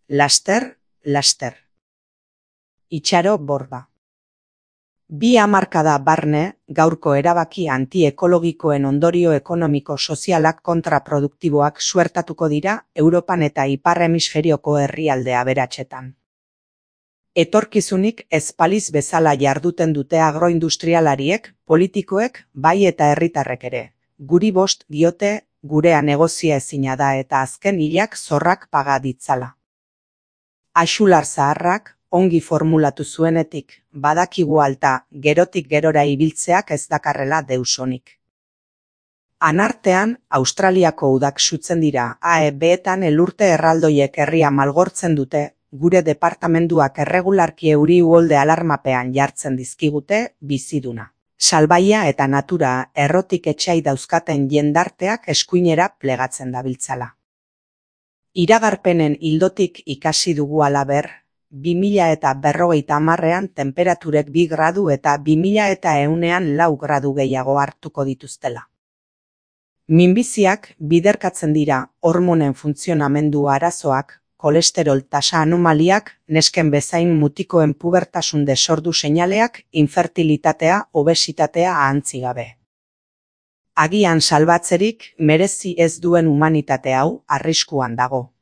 laster, laster. Itxaro Borba. 2 hamarkada barne, gaurko erabaki antiekologikoen ondorio ekonomiko-sozialak kontraproduktiboak suertatuko dira Europan eta Ipar Hemisferioko herrialde aberatsetan. Etorkizunik ez baliz bezala jarduten dute agroindustrialariek, politikoek, bai eta herritarrek ere. Guri bost diote, gurea negozia ezina da eta azken hilak zorrak paga ditzala. Axular zaharrak, ongi formulatu zuenetik, badakigu alta, gerotik gerora ibiltzeak ez dakarrela deusonik. Anartean, Australiako udak sutzen dira, AEB-etan elurte erraldoiek herria malgortzen dute, gure departamenduak erregularki euri uholde alarmapean jartzen dizkigute, biziduna. Salbaia eta natura errotik etxai dauzkaten jendarteak eskuinera plegatzen dabiltzala. Iragarpenen ildotik ikasi dugu halaber, 2050ean temperaturek 2 gradu eta 2100ean 4 gradu gehiago hartuko dituztela. Minbiziak biderkatzen dira hormonen funtzionamendu arazoak, kolesterol tasa anomaliak, nesken bezain mutikoen pubertasun desordu seinaleak, infertilitatea, obesitatea ahantzi gabe. Agian salbatzerik merezi ez duen humanitate hau arriskuan dago.